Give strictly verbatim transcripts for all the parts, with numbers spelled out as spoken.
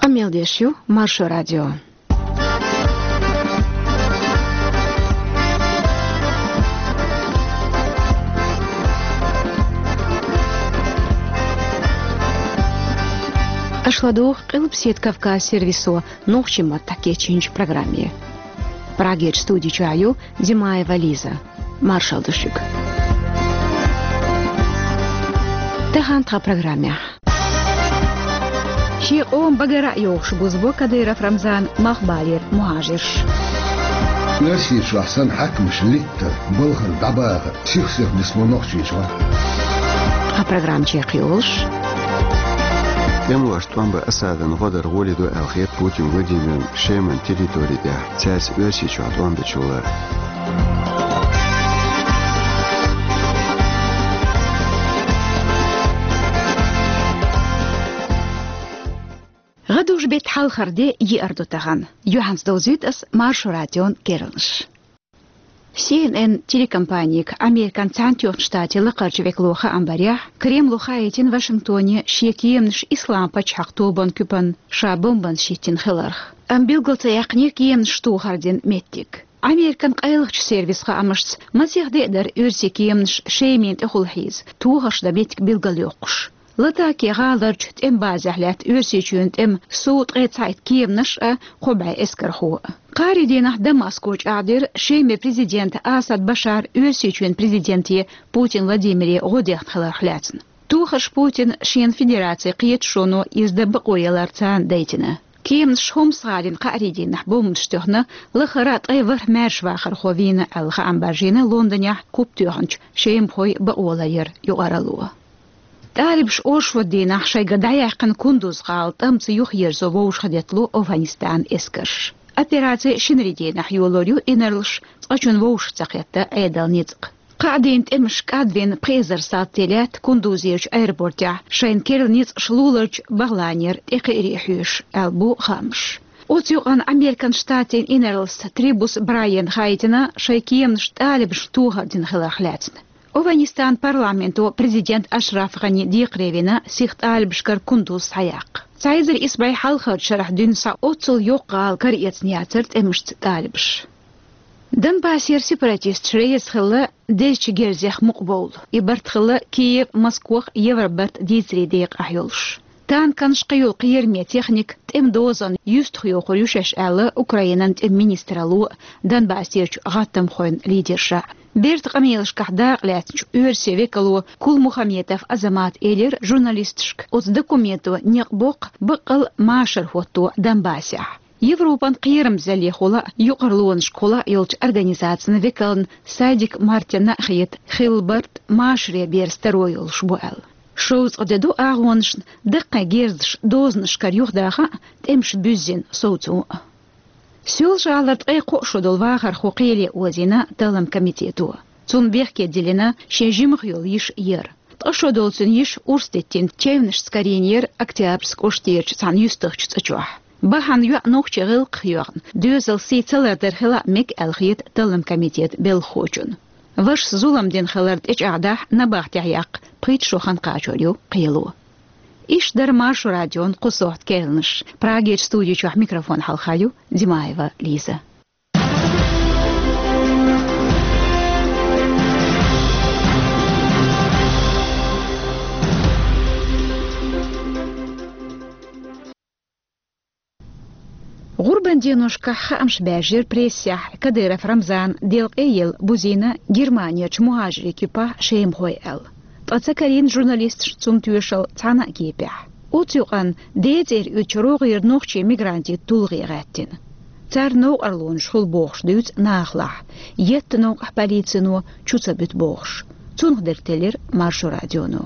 Къамел деш ю Маршо радио. Аша ладугӀу Къилбаседа Кавказ сервисо нохчийн маттахь кечйинчу программе. Прагерчу студи чохь ю Димаева Лиза. Маршалла ду шуьга. Тахана тхан программехь. Шен къоман багара а йогӀуш бузабо Кадыров Рамзан малхбалера мухӀажирш. Оьрсийчохь санна хьаькамаш литтар, балхара дӀабахар сих-сиха нисбо Нохчийчохь. Тхан программа чекхйолуш. ТӀемалошна тӀом бан Асадан гӀо дар гӀоли ду аьлла хета Путин Владимирна Шеман территори тӀехь, цаьрца Оьрсийчохь тӀом бечул а. ГӀадужу-беттан хьалхара де, еара ду тахана. Юьхьанца довзуьйту ас Маршо радион керланаш. Си Эн Эн телекомпанига Американ Цхьаьнатоьхначу Штатийн лакхарчу векало хаам барехь, Кремло хаийтина Вашингтоне шен кеманаш Исламан пачхьалкх тобанан куьпанна ша бомбанаш хӀиттина хиларх. Амма билгал ца яьккхинера кеманаш тохар дина меттиг. Американ къайлахчу сервисан хаамашца, масех де а дара оьрсийн кеманаш Шемина тӀехула хьийза, тохарш дан меттиг билгалйоккхуш. Латакия гӀаларчу тӀеман базехь лаьтта Оьрсийчоьнан тӀем Су ткъе цхьаитта кеманаш а, кхо бӀе эскархо а. Кхаарин дийнахь Дамаско чӀагӀдира Шеман президента Асад Башара Оьрсийчоьнан президенте Путин Владимире гӀо дехна хиларх лаьцна. Тохарш Путина шена Федерацин кхеташоно иза дан бакъо яларца дайтина. Кеманаш Хомс-гӀалина кхаарин дийнахь бомбанаш тоьхна, лахара ткъе ворхӀ маьршавахархо вийна аьлла хаам баржийна Лондонехь куп тоьхначу шемахойн бакъоларъяран юкъаралло. ТӀалибаша оршот дийнахь шайга дӀаяьккхина Кундуз-гӀала тӀамца юхаерзо вовшахтеттало Афганистанан эскарш. Операци шинарин дийнахь йолор ю инарлаш, цкъачунна вовшах ца кхетта Ӏедалан ницкъ. Кхаа дийнан тӀемаш кӀадвина пхи эзар салтий лаьтта Кундузерчу аэропортехь, шайна керла ницкъаш луларчу БагӀланера тӀекхиаре хьоьжуш, аьлла бу хаамаш. Оцу юкъанна Американ Штатийн инарлас Трибус Брайана хаийтина шайн кеманаш тӀалибашна тохар дина хиларх лаьцна. Афганистанан парламенто президент Ашраф ГӀани декхаре вина сиха тӀалибашкара Кундуз схьаяккха. Цхьа эзар исс бӀе хьалхарчу шарахь дуьйна схьа оццул йоккха гӀала караэцна яцара тӀемашца тӀалибаш. Донбассера сепаратисташ реза хилла дезачу герзех мукъабовла. И барт хилла Киев, Москох Евробарт дийцарийн декъахь йолуш. Танканаш, кхийолу кхераме техника, тӀеман дозанна юьстах йохур ю шаьш аьлла Украинан тӀеман министралло Донбассерчу гӀаттамхойн лидерша. Бертан къамелашкахь дакъа лаьцначу оьрсийн векало Кулмухаметов Азамата элира журналисташка, оцу документо некъ боккху баккъал машар хӀотто Донбассехь. Европан кхерамзаллехула а, юкъарлонашкахула а йолчу организацин векална Садик Мартинна а хета хилла барт машаре берза таро йолуш бу аьлла. Шовзткъа де ду агӀонашна даккхий герзаш дозанашкара юхадаха а, тӀемаш буьззина совцо а. Соьлжа-ГӀалара ткъе кхоъ шо долу вахархо кхеле озийна таллам комитето. Цунна бехке диллина шен жимах йолу йиша яр. Ткъа шо долу цуьнан йиша урс диттина чевнашца карийнера Октябрьск кӀоштерчу цхьана юьстахчу цӀа чохь. Бахьана йоӀ нохчийн гӀиллакхах йоьхна, доьзалан сий ца лардар хила а мега аьлла хета таллам комитетан белхахочунна. Вашас зулам дина хилар тӀечӀагӀдахь, набахтехь яккха пхийтта шо хан кхачор ю кхело. Иштта дара Маршо радион кху сохьта керланаш. Прагерчу студи чохь микрофон хьалха ю Димаева Лиза. ГӀурбан деношкахь хаамаш баьржира прессехь Кадыров Рамзана делкъе елла бузийна Германерчу мухӀажирийн куьпахь шемахой аьлла. Ткъа ца карийна журналисташна цунна тоьшалла цхьана а кепехь. Оцу юкъанна децӀера уьдучу рогӀера нохчийн мигрантийн тулгӀе гӀаьттина. Царна новкъарлонаш хуьлу бохуш дуьйцу нахалахь, етта новкъахь полицино чу ца буьту бохуш. Цунах дерг теллира Маршо радионо.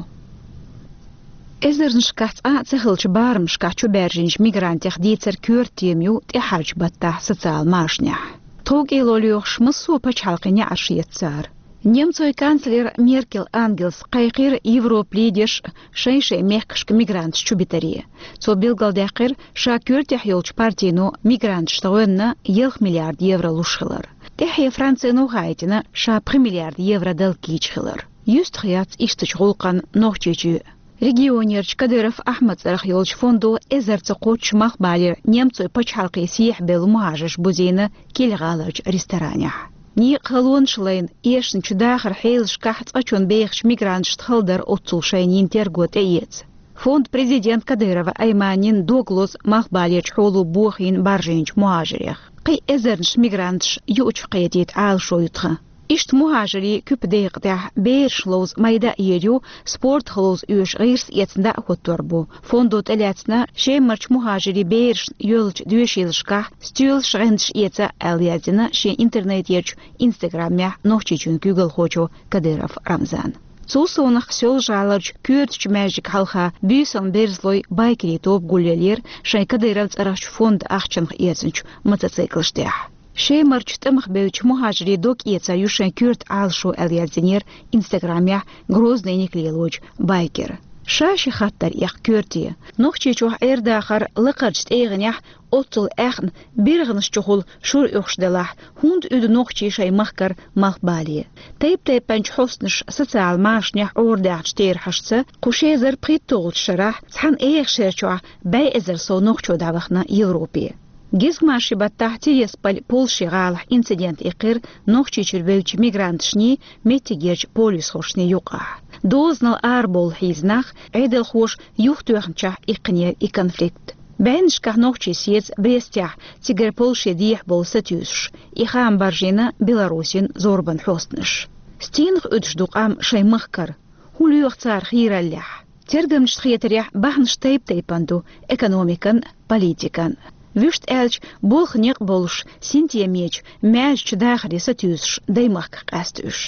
Эзарнашкахь цкъа а ца хиллачу барамашкахь чубаьржинчу мигрантех дийцар коьрта тема ю тӀаьхьарчу баттахь социал машанехь. ТховкӀело лоьхуш массо а пачхьалкхийн неӀарш еттара. Немцойн канцлера Меркель Ангелас кхайкхира Европан лидерш шайн-шайн мехкашка мигранташ чубитаре. Цо билгалдаьккхира, ша коьртехь йолчу партино мигранташна гӀоьнна ялх миллиард евро луш хилар. ТӀаьхье Францино хаийтина ша пхи миллиард евро дала кийча хилар. Юьстах яц ишттачу гӀуллакхна Нохчийчоь. Регионерчу Кадыров Ахьмад цӀарах йолчу фондо эзарца кхоччуш малхбалера немцойн пачхьалкхе сехьабевлла мухӀажарш бузийна Киль-гӀаларчу ресторанехь. Некъан халонаш лайна, эшначу дахаран хьелашкахь цкъачунна бехачу мигранташна хала дара оццул шайна йина терго тӀеэца. Фонд президент Кадырова Айманин дог лозу малхбалерчу хьоло бохийна баржийначу мухӀажарех. Кхин эзарнаш мигранташ юучух кхетийта Ӏалашо ю тхан. Иштта мухӀажарийн куьпа декъа тӀехь бераш ловза майда а йийр ю, спортах ловза оьшу гӀирс эцна дӀа а хӀоттор бу. Фондо тӀелаьцна Шемарчу мухӀажарийн берашна йоьллучу доьшийлашкахь стоьлаш, гӀанташ эца аьлла яздина шен интернетерчу инстаграмехь Нохчийчоьнан куьйгалхочо Кадыров Рамзана. Цул совнаха Соьлжа-ГӀаларчу коьртачу маьждига хьалха буьйсанна берзалой, байкерийн тоба гулъеллера шайн Кадыров цӀарахчу фондан ахчанах эцначу мотоциклаш тӀехь. Шемарчу тӀамах бевддачу мухӀажарийн дог эцар ю шайн коьрта Ӏалашо аьлла яздинера инстаграмехь Грозныйниг лелочу байкера. Ша ши хаттар эккха коьрте. Нохчийчохь Ӏер-дахар лакхарчу тӀегӀанехь оццул аьхна биргӀанаш чухула шура оьхуш делахь, хӀунда уьду нохчий шайн махкара малхбале? Тайп-тайпанчу хьостанаша социал машанехь Ӏорадаьхначу терахьашца, кху ши эзар пхийтталгӀачу шарахь цхьана эха шерчохь бӀе эзар сов нохчо дӀавахана Европе. Гезгмашин баттахь Тирасполь-Польшин гӀалахь инцидент иккхира Нохчийчуьра вевдачу мигранташний, меттигерчу полисхошний юкъахь. Дозанал арабовла хьийза нах, Ӏедалхоша юхатоьхначохь иккхинера и конфликт. БӀеннашкахь нохчий сецна Брестехь, цигара Польше дехьабовла сатуьйсуш. И хаам баржийна Беларусин зорбан хьостанаша. Стенах уьдуш ду къам шайн махкара? ХӀун лоьху цара хийраллехь? Тергамчашна хетарехь, бахьанаш тайп-тайпана ду: экономикан, политикан. Вуьшта аьлча, болх некъ болуш, синтемечу, маьждигачу дахаре сатуьйсуш даймахках къаьста уьш.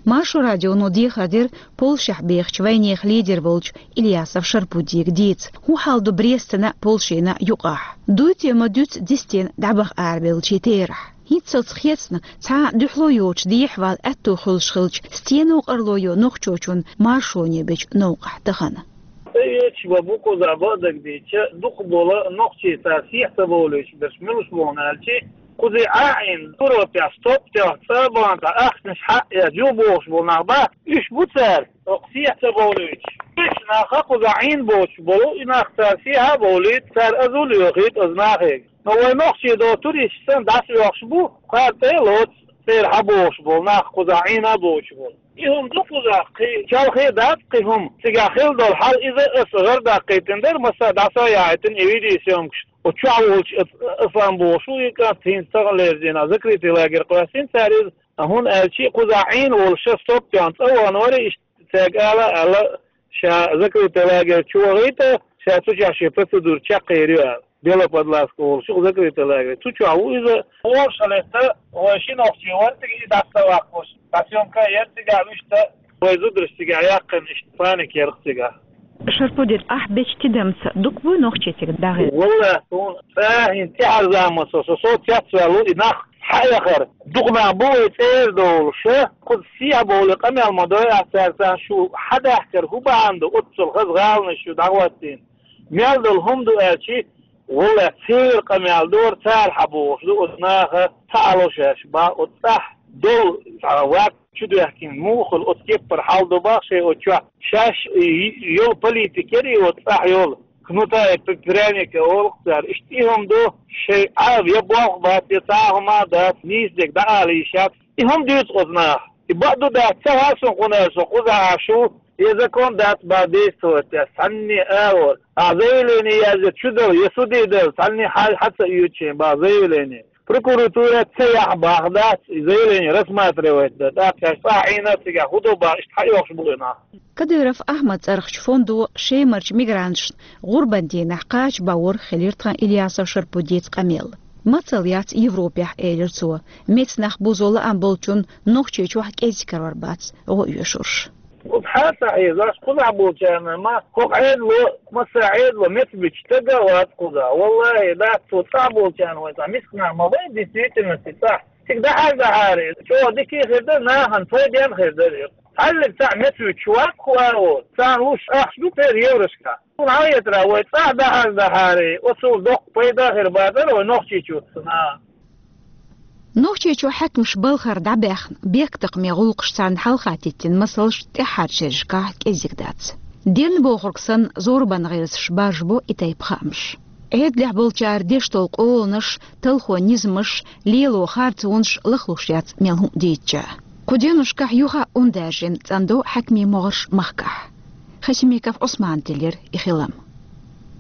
Маршо радионо дехар дира Польшехь бехачу вайнехан лидер волчу Ильясов Шарпудига дийца, хӀун хьал ду Брестана а, Польшина а юкъахь. Дуй те ма дуьйцу дистина дӀабаха арабевллачийн терахь? ХӀинццалц хецна, цхьа а дуьхьало йоцуш дехьавала аьтто хуьлуш хилча, стено къарло йо нохчочун маршоне бечу новкъахь тахана? Цхьа эча бан бу кхузахь бакъдерг дийцича, дукхахболу нохчий цара сехьа ца бовлуьйтуш берш муьлш бу аьлча, кхузахь Ӏа а Ӏийна, Европехь стоп тоьхна, цӀа а бахна, цхьа ахчанаш хьаъ а эцна юхабохуш болу нах бац, уьш бу цара, оха сехьа ца бовлуьйтуш. Уьш наха кхузахь Ӏийна боцуш болу, и нах цара сехьа а бовлуьйту, цара азул а йохуьйту оцу нахе. Но вай нохчий до туристаш санна дӀасаоьхуш бу, кхара тӀе а лоцу, церан хьабохуш болу нах кхузахь Ӏийна а боцуш болу. И хӀума ду кхузахь, кхин чалхе а дац кхин хӀума. Цигахь хилла долу хьал иза аса гӀар даккхийтина дара, массара дӀасаяхьийтина и видеосъёмкаш. Оцу чохь волчу аса, аса ам бохуш ву и кӀант, хӀинца тахана лерзийна, закрытый лагерь къоьстина цара иза. ХӀунда аьлча кхузахь Ӏийна волуш ша стоп тоьхна цӀа вахана вара, иштта цаьрга ала а аьлла, ша закрытый лагерь чу вахийта, ша цу чохь шен процедура чекхъер ю аьлла. Белоподлагска олуш ю закрытый лагерь. Цу чохь ву иза. Оша летта, вай ши нохчи вара цига и дӀа ца ваккхуш. ДӀа съёмка а яра цигахь, вуьшта вай зударш цигахь яьккхина, иштта паника яра цигахь. Шарпудин, ахь бечу тидамца дукха буй нохчий цига дӀахезна? Валлахь, суна цӀа хӀинца тӀаьхьарза ма со, со, со цецваьлла ву и нах. Хьаэхар, дукха нах бу вай цӀера долуш, кхуза сехьа бовлий къамел ма дой ахь цаьрца, шу хьан даьхкира, хӀун бахьана ду, оццул хаза гӀаланаш ю дӀахӀоттийна. Мел долу хӀума ду аьлчи, валлахь, церан къамел дора, цара хьан бохуш ду, оцу наха ца Ӏало шаьш бан, оцу цӀахь долу цхьа ваьрг чу доьхкина, муха хуьлу оцу кеппара хьал ду бах шайн оцу чохь. Шаьш и, йолу политика яра и оцу цӀахь йолу. Кнута и п-, пряника олу цара. Иштта и хӀума ду, шайн Ӏа я болх бац, я цхьа а хӀума дац, нийса дерг дӀаала йиш яц. И хӀума дуьйцу оцу наха. И бакъду дац, ца хьа суна кхунара со кхузахь Ӏаш ву, я закон дац бан действовать деш, цхьанне а агӀор. Ахь заявление язъя чу дала, я суде дала, цхьанне хьал хьа ца оьцу шен бан заявление. Прокуратура ца яхь бах дац, и заявление рассматривать дан. ТӀаккха шаьш цӀахь Ӏийна цигахь хӀун до бан, иштта хьаоьхуш бу и нах. Кадыров Ахьмад цӀарахчу фондо Шемарчу мигранташна гӀурбан дийнахь кхача бан вара хилира тхан Ильясов Шарпудица къамел. Мацалла яц Европехь, элира цо. Меца нах бузо лаам болчунна Нохчийчохь кӀезиг карор бац гӀо оьшурш. Оцу хьан ца хьийзаш, кхузахь болчарна ма, хӀокху Ӏедало, массара Ӏедало меца буьтуш стаг а вац кхузахь. Валлахи, дац, цо цӀахь болчарна вай цхьа миска нах ма вай, действительности цӀахь. Цига дахьар-дахьаре, чӀогӀа дика а хир дара, нахана пайденна а хир дара. Цхьаьллиг цхьаъ меца вуьтуш вац кху агӀор, царна луш ахча ду тера еврошка. Суна хьалхетарехь, вай цӀахь дахьар-дахьаре, оцул доккха пайда а хир бацара вай Нохчийчу цу наха. Нохчийчу хьаькамаш балхара дӀабаьхна, бехктакхаман гӀуллакхаш царна хьалха теттина масалш тӀаьххьарчу шерашкахь кӀезиг дац. Дерн бохург санна зорбан гӀирсаш баржабо и тайпа хаамаш. Ӏедалехь болчара деш долу къоланаш, талхо низамаш, лело харцонаш лахлуш яц мел хӀума дийцча. Кху деношкахь юха а ун даьржина цӀандо хьаькамийн могӀарш махкахь. Хасимиков Ӏусмана тиллира и хилам.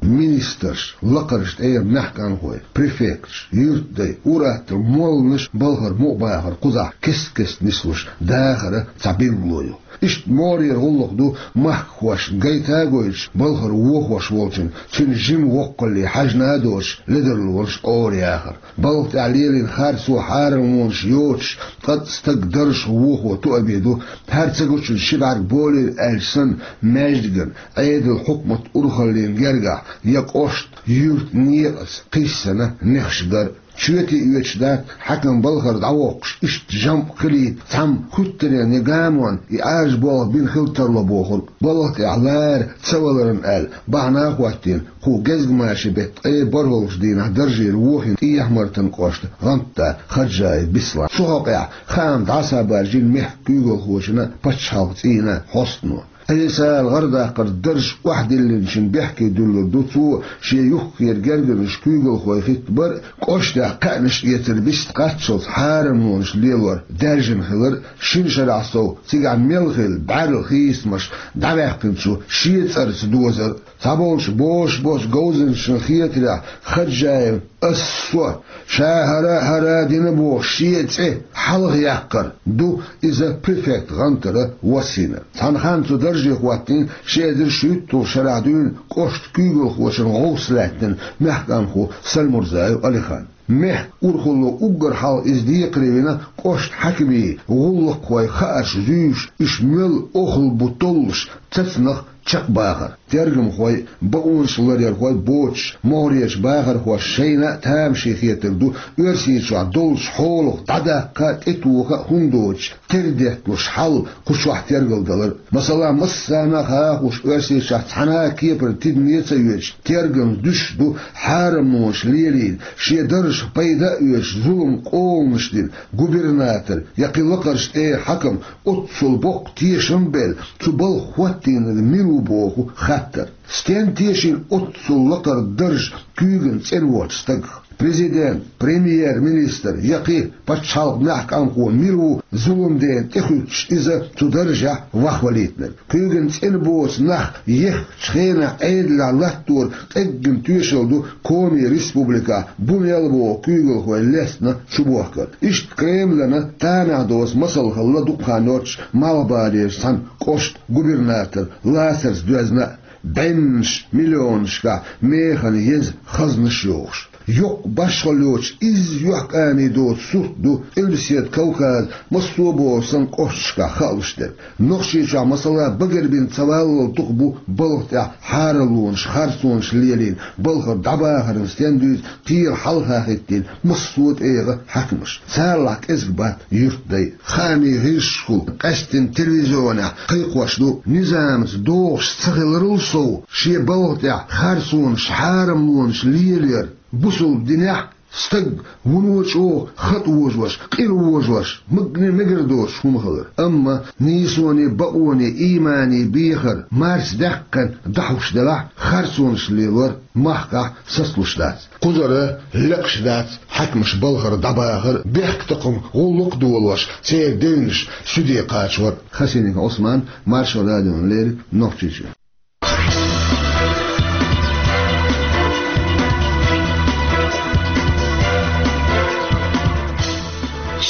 Министрш, лакхарчу тӀера маьхканхой, префекташ, юьртдай, ур-аттал молланаш балхара мукъабахар кхузахь кест-кеста нислуш дахаран цхьа билгало ю. Иштта могӀарера гӀуллакх ду махкахошна гайта а гойтуш, балхара вохош волчун, цуьнан жима воккхалле хьаьжна а доцуш, ледарлонаш къора яхар. Балха тӀехь лелийна харцо, хьарамлонаш йоцуш, ткъа стаг даржах вохо тоъаме ду, хӀара ца гучунна ши бӀаьрг болийла аьлча санна, маьждиган, Ӏедал, хьукмат урхаллин гергахь я кӀошт, юьрт некъаца кхиссина нехаш гар. Чоьте оьцуш дац хьаькам балхара дӀавоккхуш, иштта жамӀ хилийта цхьамма хуьттаренна я гамонна и Ӏаьржа болх бина хила тарло бохург. Балха тӀехь лара ца валарна аьлла, бахьана а хӀоттийна, кху гезгмашин беттан ткъе бархӀалгӀачу дийнахь даржера вохийна ТӀехьа-Мартан кӀоштан гӀантда Хаджаев Беслан. Цу хьокъехь хаам дӀасабаржийна мехкан куьйгалхочунна, пачхьалкхан цӀийнан хьостано. Ӏесала гӀардаккхарца дарж охьадиллинчун бехке дуьллур ду цо шен юххера гергарнаш, куьйгалхой хӀиттабар а, кӀоштахь кхаьънаш эцар бист кхаччалц хьарамлонаш лелор даьржина хилар а, шина шарахь сов цигахь мел хилла бӀаьрла хийцамаш дӀаваьккхинчу шен цӀарца дозар а. Цхьаболчу бозуш боцу говзанчашна хетарехь, Хаджаев «Ас, со, ша хӀара а, хӀара а дина» бохуш, шен цӀе хьалхаяккхар ду иза префектан гӀантара воссийнарг. Цхьана ханна цу дарже хӀоттийна ши эзар шуьйтталгӀачу шарахь дуьйна кӀоштан куьйгалхочун гӀовс лаьттина мехкан къанхо Сальмурзаев Алихан. Мехкан урхалло уггар хьалха иза декхаре вина кӀоштан хьаькамийн гӀуллакххой хаарш зуьйш, уьш мел охал бу толлуш, цацанах чекхбахар. Тергамхой, бакъонаш ларъярхой боцуш, могӀарерчу бахархошна шайна а тамашийна хетарг ду Оьрсийчохь долчу хьолах дӀадаккха а, тӀетоха а хӀунда доцуш, тера детталуш хьал кху чохь тергалдалар. Масала, массарна а хаа хууш, Оьрсийчохь цхьана а кепара тидаме а ца оьцуш, тергамза дуьсуш ду хьарамлонаш лелийна, шен даржах пайда а оьцуш, зулам, къоланаш дина губернатор я кхин лакхарчу тӀера хьаькам, оццул боккха тешам а белла, цу балха хӀоттийнарг мила ву боху хаттар. Стенна тешийна оццул лакхара дарж куьйгана цӀена воцу стагах? Президент, премьер-министр я кхин пачхьалкхан маьхкан къанхо мила ву зуламдена тӀехуьттуш иза цу даржехь вахвалийтинарг? Куьйгана цӀена боцу нах еххачу хенахь Ӏедалехь латтор къеггина тоьшалла ду Коми республикехь Бунелла боху куьйгалхой лестина чубохкар. Иштта Кремлана тамехь доцу масал хилла дукха хан йоццуш Малхбалерчу цхьана кӀоштан губернатор лацарца доьзна а, бӀеннаш миллионашкахь механа еза хазнаш йохуш. Йоккха башхалла йоцуш, изза юьхькӀаме доцу сурт ду Къилбаседа Кавказан массо а бохург санна кӀошташкахь хаалуш дерг. Нохчийчохь, масала, багарбина ца валлал туху бу балха тӀехь хьарамлонаш, харцонаш лелийна, балхара дӀабахарна стенна дуьйцу кхера хьалха хӀиттийна массо а тӀегӀан хьаькамаш. Царалахь кӀезиг бац юьртдай. Хаамийн гӀирсашкахула, къаьсттина телевизионехь кхайкхош ду, низамца догӀуш ца хиларал сов, шен балха тӀехь харцонаш, хьарамлонаш лелаяр бусалба динехь стаг вуно чӀогӀа хатӀ вожош, къира вожош, магане мегар доцуш хӀума хилар. Амма нийсоне, бакъоне, иймане бехар марсадаьккхина дӀахьуш делахь, харцонаш лелор махкахь сацалуш дац. Кхузара лекхаш дац хьаькамаш балхара дӀабахар, бехктакхаман гӀуллакх а долош, церан девнаш суьде кхачор. Хасимиков Ӏусман, Маршо радиона леррина, Нохчийчоь.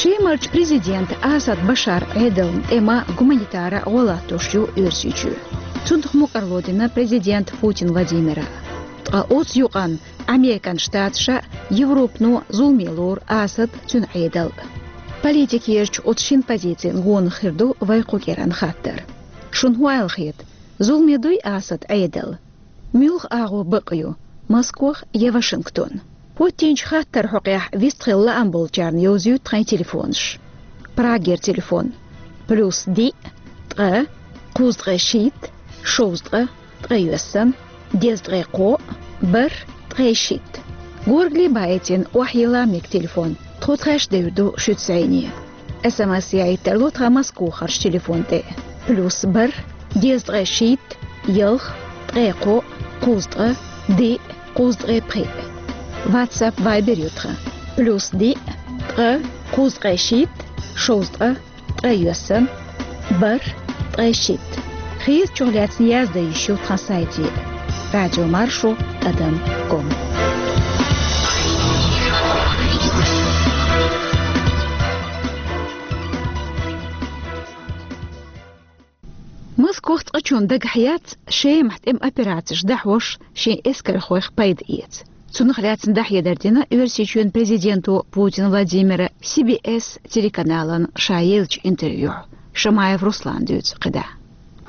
Шемарчу президента Асад Башаран Ӏедална тӀе ма гуманитара гӀо латтош ю Оьрсийчоь. Цунах мукӀарло дина президента Путин Владимира. Ткъа оцу юкъанна Американ Штаташа, Европано зуламе лору Асад, цуьнан Ӏедал. Политикерчу оцу шина позицина гонах хир ду вай кху кӀиранан хаттар. Шуна хӀун аьлла хета, зуламе дуй Асад Ӏедал? Муьлха агӀо бакъ ю, Москох я Вашингтон? ХӀоттийначу хаттаран хьокъехь вистхила лаам болчарна йовзуьйту тхайн телефонаш. Прагера телефон: плюс диъ, ткъа, кхузткъе шийтта, шовзткъа, ткъе йоьссана, дезткъе кхоъ, бархӀ, ткъе шийтта. Горгали баийтина охьайилла мега телефон, тхо тхаьш девр ду шуьца зӀене. СМС яийта тарло тхан Москохарчу телефон тӀе: плюс бархӀ, дезткъе шийтта, ялх, ткъаь кхоъ, кхузткъа, диъ, кхузткъаь пхиъ. WhatsApp, Viber ю тхан: плюс диъ, ткъа, кхузткъаь шийтта, шовзткъа, ткъаь йоьссан, бархӀ, ткъаь шийтта. Хезачух лаьцна яздан йиш ю тхан сайте: радиомаршо тӀадам ком. Москох цкъачунна дагахь яц Шемахь тӀеман операцеш дӀахьош шен эскархойх пайда эца. Цунах лаьцна дӀахьедар дина Оьрсийчоьнан президента Путин Владимира Си Би Эс телеканална ша еллачу интервьюхь. Шамаев Руслана дуьйцу кхидӀа.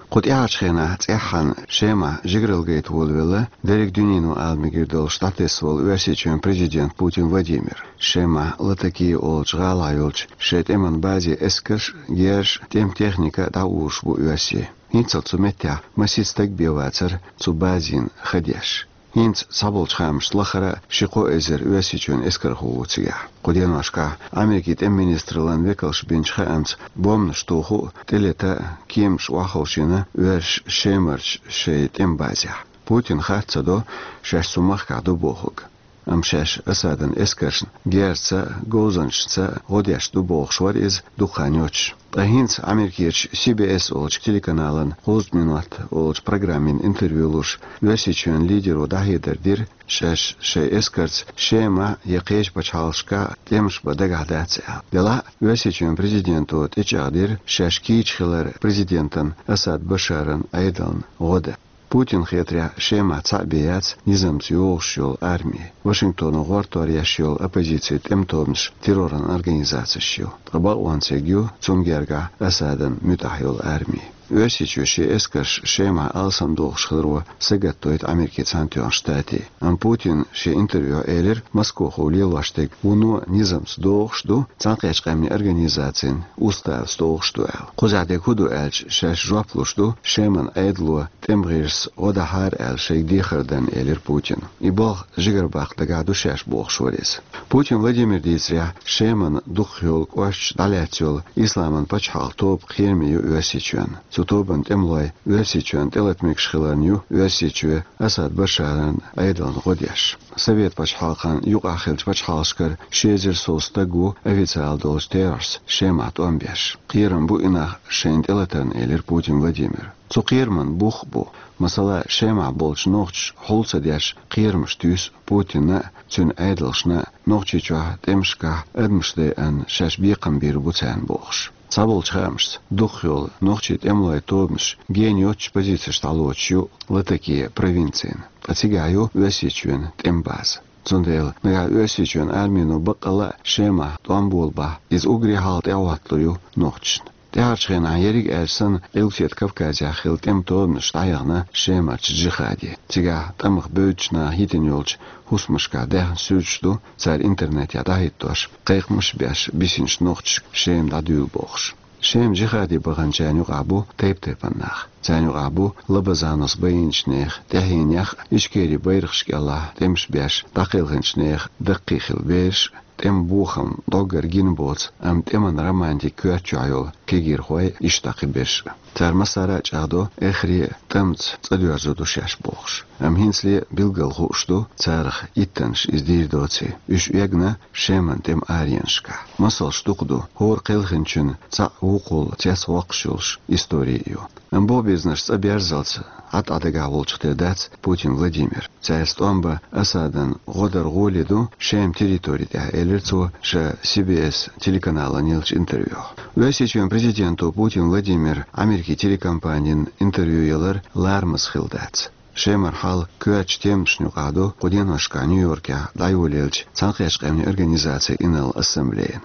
Кху тӀаьхьарчу хенахь цӀеххьана Шемахь жигаралла гайта волавелла, дерриг дуьнено ала мегар долуш дӀатесна волу Оьрсийчоьнан президент Путин Владимир. Шемахь Латакия олучу гӀалахь йолчу шайн тӀеман базе эскарш а, герзаш а, тӀеман техника а дӀаухуш бу оьрсий. ХӀинццалц цу меттехь масийтта стаг бен вацара цу базина хан деш. ХӀинца цхьаболчу хаамашца лахара а ши-кхо эзар Оьрсийчоьнан эскархо ву цигахь. Кху деношкахь Америкин тӀеман министраллан векалш бинчу хаамца, бомбанаш туху а, тӀелета а, кеманаш охьаховшийна оьрсаша Шемарчу шайн тӀеман базехь. Путина хатта ца до шаьш цу махкахь ду бохург. Амма шаьш Асадан эскаршна герзаца а, говзанчашца а гӀо деш ду бохуш вара иза дукха хан йоцуш. Ткъа хӀинца Америкерчу Си Би Эс олучу телеканалан «Кхузткъа минот» олучу программина интервью луш, Оьрсийчоьнан лидеро дӀахьедар дира, шаьш шайн эскарца Шемахь я кхечу пачхьалкхашкахь тӀемаш бан дагахь дац аьлла. Делахь а Оьрсийчоьнан президенто тӀечӀагӀдира шаьш кийча хилар президентан Асад Башаран Ӏедална гӀо дан. Путинна хетарехь, Шемахь цхьаъ бен яц низамца йогӀуш йолу арми. Вашингтоно гӀортор еш йолу оппозицин тӀеман тобанаш терроран организацеш ю. Ткъа бакъонца ерг ю цунна гергахь Асадан муьтӀахь йолу арми. Оьрсийчоь шен эскарш Шемахь алсамдохуш хиларо сагатдойту Америкин Цхьаьнатоьхначу Штатийн. Амма Путина шен интервьюхь элира, Москохо лелош дерг вуно низамца догӀуш ду Цхьаьнакхеттачу Къаьмнийн Организацин уставца догӀуш ду аьлла. Кхузахь дерг хӀун ду аьлча, шаьш жоп луш ду, Шеман Ӏедало тӀеман гӀирсаца гӀо дахьара аьлла шайга дехар дан, элира Путина. И болх жигара баккха дагахь ду шаьш бохуш вара иза. Путин Владимира дийцарехь, Шеман дукхах йолу кӀошташ дӀалаьцна йолу Исламан пачхьалкхан тоба кхераме ю Оьрсийчоьнан. Цу тобанан тӀемалой Оьрсийчоьнна тӀелата мегаш хиларна ю Оьрсийчоь Асад Башаран Ӏедална гӀо деш. Совет пачхьалкхан юкъахь хиллачу пачхьалкхашкара ши эзар сов стаг ву официалан долчу терахьашца Шемахь тӀом беш. Кхерам бу и нах шайна тӀелатарна, элира Путин Владимира. Цу кхераман бух а бу. Масала, Шемахь болчу нохчаша хьул ца деш, кхерамаш туьйсу Путинна а, цуьнан Ӏедалшна а, Нохчийчохь тӀемашкахь адамаш дайъарна шаьш бекхам бийр бу царна бохуш. Цхьаболчу хаамашца, дукхах йолу нохчийн тӀемалойн тобанаш гена йоццучу позицешка дӀалоцуш ю Латакия провинцина, ткъа цигахь ю Оьрсийчоьнан тӀеман база. Цундела нагахь Оьрсийчоьнан армино баккъалла а Шемахь тӀом болабахь, иза уггаре хьалха тӀехӀотталур ю нохчашна. ТӀаьхьарчу хенахь, ерриг аьлча санна, Къилбаседа Кавказехь хилла тӀеман тобанаш дӀаяхна Шемарчу Джихаде. Цигахь тӀамах бевддачу наха йитина йолчу хӀусамашкахь даьхна суьрташ ду, цара интернетехь дӀахӀиттош, кхайкхамаш а беш, бисинчу нохчашка Шема дӀадуьйла бохуш. Шема Джихаде баханчарна юкъахь бу тайп-тайпана нах. Царна юкъахь бу Лабазановс байинчу нехан тӀаьхьенех а, Ичкерин байракхаш кӀелахь тӀемаш беш дӀакхелхинчу нехан даккхий хилла бераш а, тӀеман бохам дӀоггара гина боцу, амма тӀеман романтикин коьрта чохь йолу кегийрхой, иштта кхиберш а. Цара массара а чӀагӀдо, эххар а тӀамца цӀа доьрзур ду шаьш бохуш. Амма хӀинцале а билггал хууш ду, царах иттаннаш иза дийр доций. Уьш эгна Шеман тӀеман аренашкахь. Масалш дукха ду, хӀора кхелхинчун цхьаъ вукхул цецвоккхуш йолуш истори а ю. Амма боху безамаш цӀа берззалц Ӏад-Ӏа дагахь волчух тера дац Путин Владимир. Цаьрца тӀом бан Асадан гӀо дар гӀоле ду Шеман территори тӀехь, элира цо ша Си Би Эс телеканална еллачу интервьюхь. Оьрсийчоьнан президенто Путин Владимира Америкин телекомпанина интервью ялар ларамаза хилла дац. Шемара хьал коьртачу тематашна юкъахь ду кху деношкахь Нью-Йоркехь дӀайолаеллачу Цхьаьнакхеттачу Къаьмнийн Организацин инарла ассамблеяна.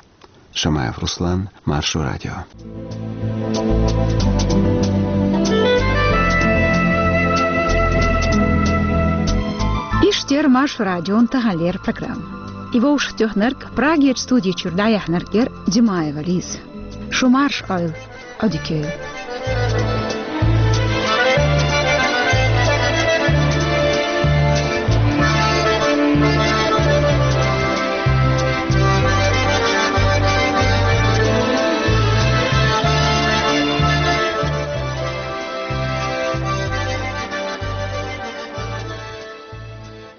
Шамаев Руслан, Маршо радио. Иштта яра Маршо радион таханлера программа. И вовшахтоьхнарг, Прагерчу студи чуьра дӀаяьхьнарг яра Димаева Лиза. Шу марша Ӏойла, Ӏодика йойла.